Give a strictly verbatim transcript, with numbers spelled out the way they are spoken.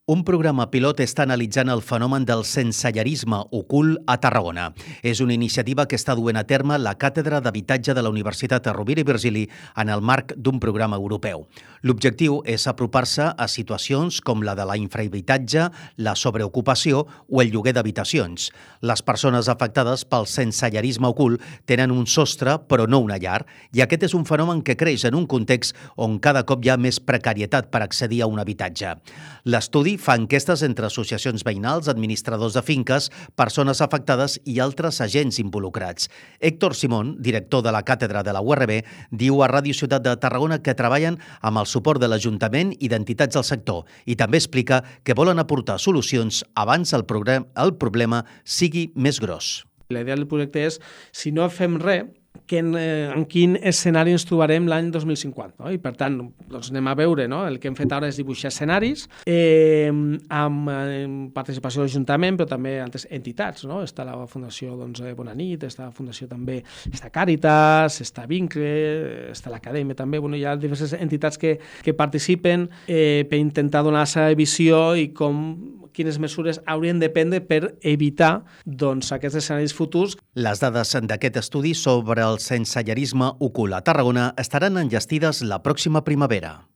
Un programa pilot està analitzant el fenomen del sensellarisme ocult a Tarragona. És una iniciativa que està duent a terme la Càtedra d'Habitatge de la Universitat Rovira i Virgili en el marc d'un programa europeu. L'objectiu és apropar-se a situacions com la de la infrahabitatge, la sobreocupació o el lloguer d'habitacions. Les persones afectades pel sensellarisme ocult tenen un sostre però no una llar, i aquest és un fenomen que creix en un context on cada cop hi ha més precarietat per accedir a un habitatge. L'estudi fa enquestes entre associacions veïnals, administradors de finques, persones afectades i altres agents involucrats. Héctor Simón, director de la càtedra de la U R B, diu a Ràdio Ciutat de Tarragona que treballen amb el suport de l'Ajuntament i d'entitats del sector i també explica que volen aportar solucions abans el, el problema sigui més gros. La idea del projecte és, si no fem res, que en, eh, en quin escenari ens trobarem l'any dos mil cinquanta. No? I per tant, doncs anem a veure, no? El que hem fet ara és dibuixar escenaris eh, amb eh, participació de l'Ajuntament, però també altres entitats. No? Està la Fundació doncs, Bona Nit, està la Fundació també, està Càritas, està Vincle, està l'Acadèmia també. Bueno, hi ha diverses entitats que, que participen eh, per intentar donar la seva visió i com quines mesures haurien de prendre per evitar doncs, aquests escenaris futurs. Les dades d'aquest estudi sobre el sensellarisme ocult a Tarragona estaran enllestides la pròxima primavera.